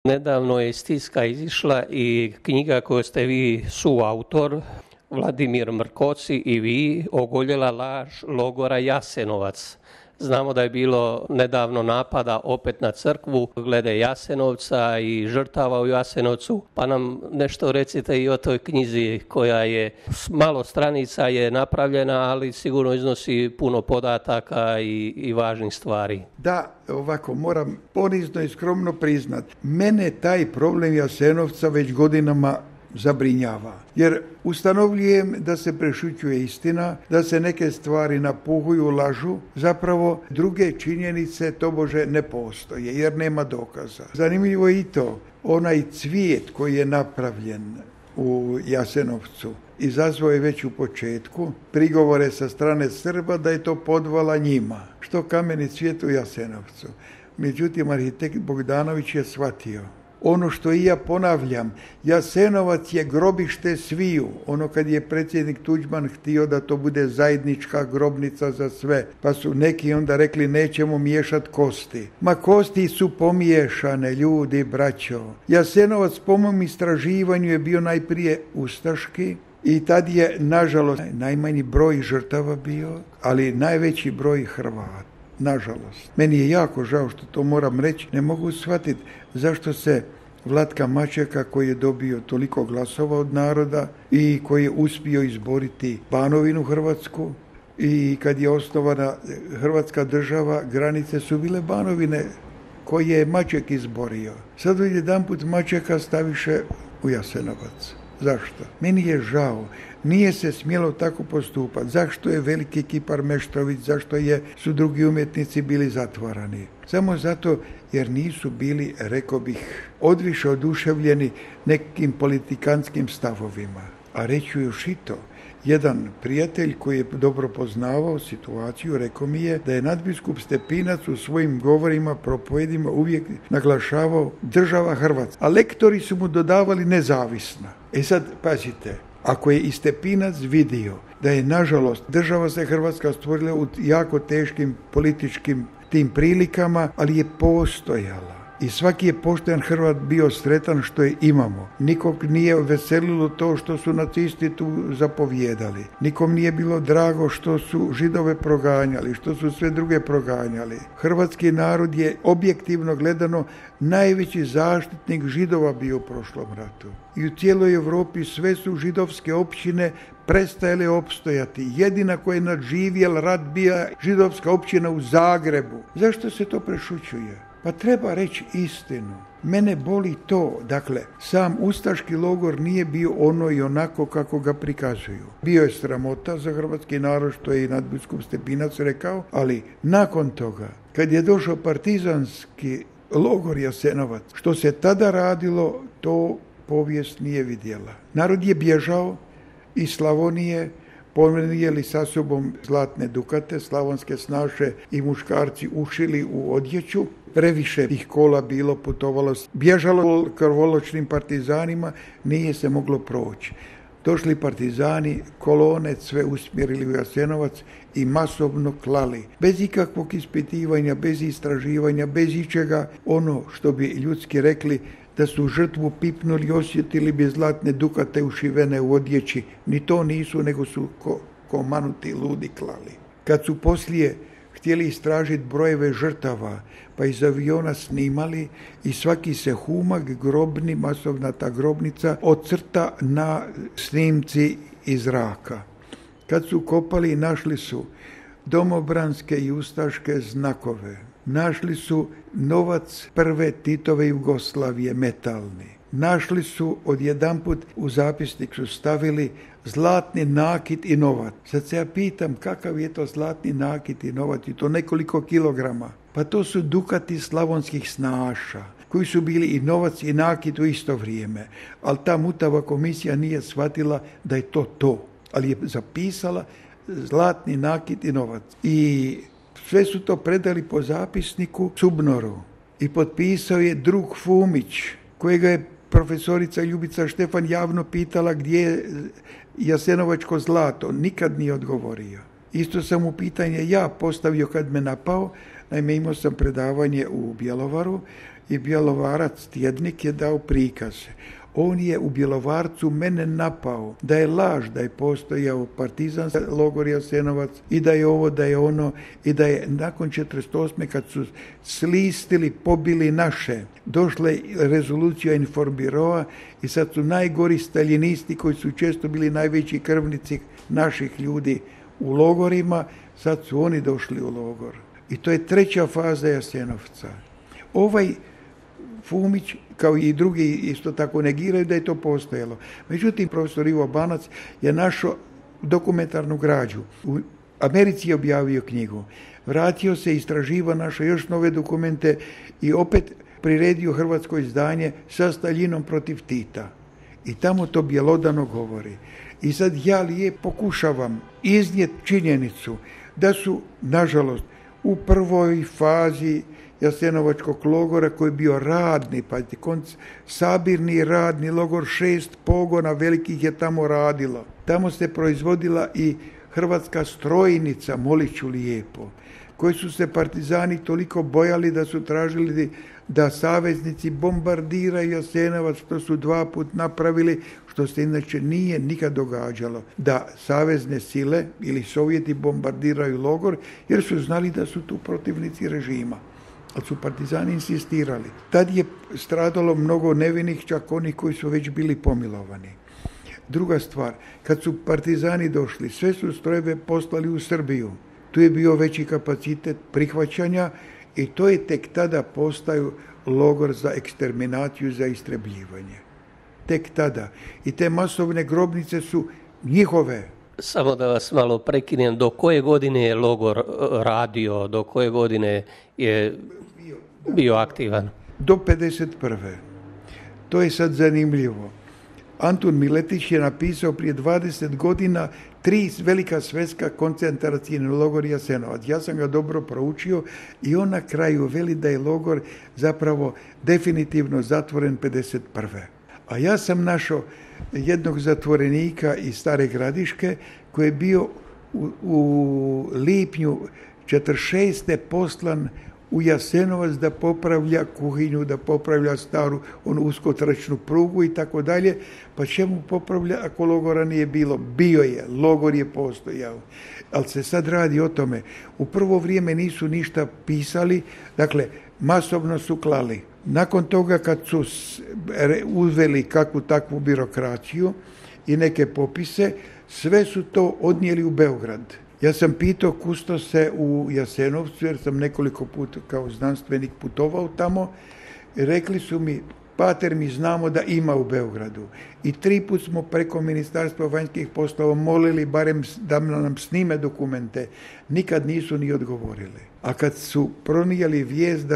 Nedavno je iz tiska izišla i knjiga koju ste vi suautor, Vladimir Mrkoci i vi, Ogoljela laž logora Jasenovac. Znamo da je bilo nedavno napada opet na crkvu glede Jasenovca i žrtava u Jasenovcu, pa nam nešto recite i o toj knjizi koja je malo stranica je napravljena, ali sigurno iznosi puno podataka i važnih stvari. Da, ovako moram ponizno i skromno priznat, mene taj problem Jasenovca već godinama zabrinjava. Jer ustanovljujem da se prešućuje istina, da se neke stvari napuhuju, lažu, zapravo druge činjenice tobože ne postoje jer nema dokaza. Zanimljivo je i to, onaj cvijet koji je napravljen u Jasenovcu izazvao je već u početku prigovore sa strane Srba da je to podvala njima. Što kameni cvijet u Jasenovcu. Međutim, arhitekt Bogdanović je shvatio ono što i ja ponavljam, Jasenovac je grobište sviju. Ono kad je predsjednik Tuđman htio da to bude zajednička grobnica za sve, pa su neki onda rekli nećemo miješati kosti. Ma kosti su pomiješane, ljudi, braćo. Jasenovac po mom istraživanju je bio najprije ustaški i tad je, nažalost, najmanji broj žrtava bio, ali najveći broj Hrvata. Nažalost. Meni je jako žao što to moram reći. Ne mogu shvatiti zašto se Vlatka Mačeka, koji je dobio toliko glasova od naroda i koji je uspio izboriti Banovinu Hrvatsku, i kad je osnovana Hrvatska država, granice su bile Banovine koje je Maček izborio. Sad odjedanput Mačeka staviše u Jasenovac. Zašto? Meni je žao. Nije se smjelo tako postupati. Zašto je veliki kipar Meštrović, zašto su drugi umjetnici bili zatvarani? Samo zato jer nisu bili, rekao bih, odviše oduševljeni nekim politikanskim stavovima. A reću još i to. Jedan prijatelj koji je dobro poznavao situaciju rekao mi je da je nadbiskup Stepinac u svojim govorima, propovedima uvijek naglašavao država Hrvatska. A lektori su mu dodavali nezavisna. E sad, pazite, ako je i Stepinac vidio da je, nažalost, država se Hrvatska stvorila u jako teškim političkim tim prilikama, ali je postojala. I svaki je pošten Hrvat bio sretan što je imamo. Nikog nije veselilo to što su nacisti tu zapovjedali. Nikom nije bilo drago što su Židove proganjali, što su sve druge proganjali. Hrvatski narod je objektivno gledano najveći zaštitnik Židova bio u prošlom ratu. I u cijeloj Europi sve su židovske općine prestajale opstojati. Jedina koja je nadživjel rat bila židovska općina u Zagrebu. Zašto se to prešućuje? Pa treba reći istinu. Mene boli to, dakle, sam ustaški logor nije bio ono i onako kako ga prikazuju. Bio je sramota za hrvatski narod, što je i nadbiskup Stepinac rekao, ali nakon toga, kad je došao partizanski logor Jasenovac, što se tada radilo, to povijest nije vidjela. Narod je bježao iz Slavonije, ponijeli sa sobom zlatne dukate, slavonske snaše i muškarci ušili u odjeću. Previše tih kola bilo, putovalo, bježalo krvoločnim partizanima, nije se moglo proći. Došli partizani, kolone sve usmjerili u Jasenovac i masovno klali. Bez ikakvog ispitivanja, bez istraživanja, bez ičega, ono što bi ljudski rekli, da su žrtvu pipnuli, osjetili bi zlatne dukate ušivene u odjeći. Ni to nisu, nego su ko manuti ludi klali. Kad su poslije htjeli istražiti brojeve žrtava, pa iz aviona snimali i svaki se humak grobni, masovna ta grobnica, ocrta na snimci iz zraka. Kad su kopali, našli su domobranske i ustaške znakove. Našli su novac prve Titove Jugoslavije, metalni. Našli su odjedanput, u zapisnik su stavili zlatni nakit i novac. Sad se ja pitam kakav je to zlatni nakit i novac, i to nekoliko kilograma. Pa to su dukati slavonskih snaša, koji su bili i novac i nakit u isto vrijeme. Ali ta mutava komisija nije shvatila da je to. Ali je zapisala zlatni nakit i novac. I sve su to predali po zapisniku Cubnoru. I potpisao je drug Fumić, kojega je profesorica Ljubica Štefan javno pitala gdje je jasenovačko zlato. Nikad nije odgovorio. Isto sam mu pitanje ja postavio kad me napao. Naime, imao sam predavanje u Bjelovaru i Bjelovarac tjednik je dao prikaz. On je u Bjelovarcu mene napao da je laž da je postojao partizanski logor Jasenovac i da je ovo, da je ono i da je nakon 48. kad su slistili, pobili naše, došla je rezolucija Informbiroa i sad su najgori staljinisti koji su često bili najveći krvnici naših ljudi u logorima, sad su oni došli u logor. I to je treća faza Jasenovca. Ovaj Fumić, kao i drugi, isto tako negiraju da je to postojalo. Međutim, profesor Ivo Banac je našao dokumentarnu građu. U Americi je objavio knjigu. Vratio se, istraživao, našao još nove dokumente i opet priredio hrvatsko izdanje sa Staljinom protiv Tita. I tamo to bjelodano govori. I sad ja pokušavam iznijeti činjenicu da su, nažalost, u prvoj fazi Jasenovačkog logora koji je bio radni, pazite, sabirni radni logor, 6 pogona velikih je tamo radilo. Tamo se proizvodila i hrvatska strojnica, molit ću lijepo, koji su se partizani toliko bojali da su tražili da saveznici bombardiraju Jasenovac, što su 2 puta napravili, što se inače nije nikad događalo, da savezne sile ili Sovjeti bombardiraju logor, jer su znali da su tu protivnici režima. Ali su partizani insistirali. Tad je stradalo mnogo nevinih, čak onih koji su već bili pomilovani. Druga stvar, kad su partizani došli, sve su strojeve poslali u Srbiju. Tu je bio veći kapacitet prihvaćanja i to je tek tada postao logor za eksterminaciju, za istrebljivanje. Tek tada. I te masovne grobnice su njihove. Samo da vas malo prekinem, do koje godine je logor radio, do koje godine je bio aktivan? Do 51. To je sad zanimljivo. Antun Miletić je napisao prije 20 godina 3 velika svjetska koncentracijna logor Jasenovac. Ja sam ga dobro proučio i on na kraju veli da je logor zapravo definitivno zatvoren 51. A ja sam našao jednog zatvorenika iz Stare Gradiške koji je bio u lipnju 46. poslan u Jasenovac da popravlja kuhinju, da popravlja staru onu uskotračnu prugu i tako dalje. Pa čemu popravlja ako logora nije bilo? Bio je, logor je postojao. Ali se sad radi o tome. U prvo vrijeme nisu ništa pisali, dakle masovno su klali. Nakon toga kad su uveli kakvu takvu birokraciju i neke popise, sve su to odnijeli u Beograd. Ja sam pitao kustose u Jasenovcu, jer sam nekoliko puta kao znanstvenik putovao tamo, i rekli su mi, pater, mi znamo da ima u Beogradu. I 3 puta smo preko Ministarstva vanjskih poslova molili barem da nam snime dokumente. Nikad nisu ni odgovorili. A kad su pronijeli vijest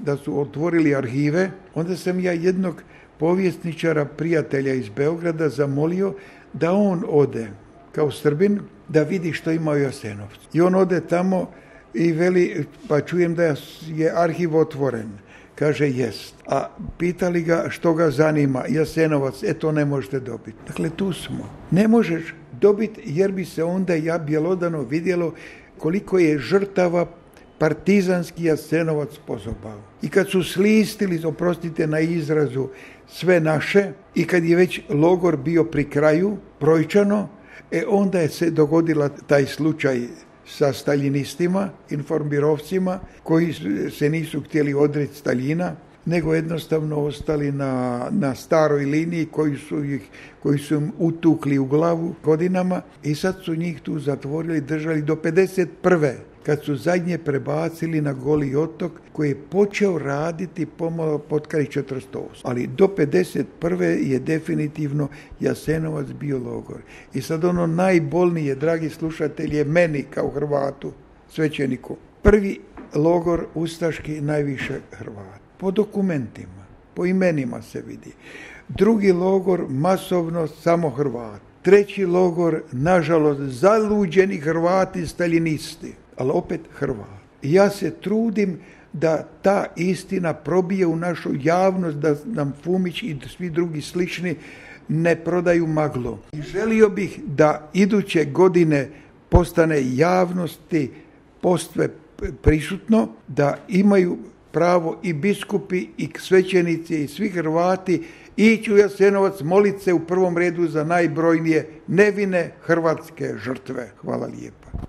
da su otvorili arhive, onda sam ja jednog povjesničara, prijatelja iz Beograda, zamolio da on ode kao Srbin da vidi što ima u Jasenovcu. I on ode tamo i veli, pa čujem da je arhiv otvoren. Kaže, jest. A pitali ga što ga zanima, Jasenovac, to ne možete dobiti. Dakle, tu smo. Ne možeš dobiti jer bi se onda bjelodano vidjelo koliko je žrtava partizanski Jasenovac pozobao. I kad su slistili, oprostite na izrazu, sve naše i kad je već logor bio pri kraju, brojčano, onda je se dogodila taj slučaj sa staljinistima, informbirovcima, koji se nisu htjeli odreći Staljina, nego jednostavno ostali na staroj liniji koji su im utukli u glavu godinama i sad su njih tu zatvorili, držali do 51. kad su zadnje prebacili na Goli otok koji je počeo raditi pomalo potkraj 48. Ali do 51. je definitivno Jasenovac bio logor. I sad ono najbolnije, dragi slušatelji, je meni kao Hrvatu, svećeniku. Prvi logor ustaški najviše Hrvata. Po dokumentima, po imenima se vidi. Drugi logor masovno samo Hrvati. Treći logor, nažalost, zaluđeni Hrvati, staljinisti, ali opet Hrvati. Ja se trudim da ta istina probije u našu javnost, da nam Fumić i svi drugi slični ne prodaju maglu. I želio bih da iduće godine postane javnosti postve prisutno, da imaju pravo i biskupi i svećenici i svi Hrvati ići u Jasenovac, moliti se u prvom redu za najbrojnije nevine hrvatske žrtve. Hvala lijepa.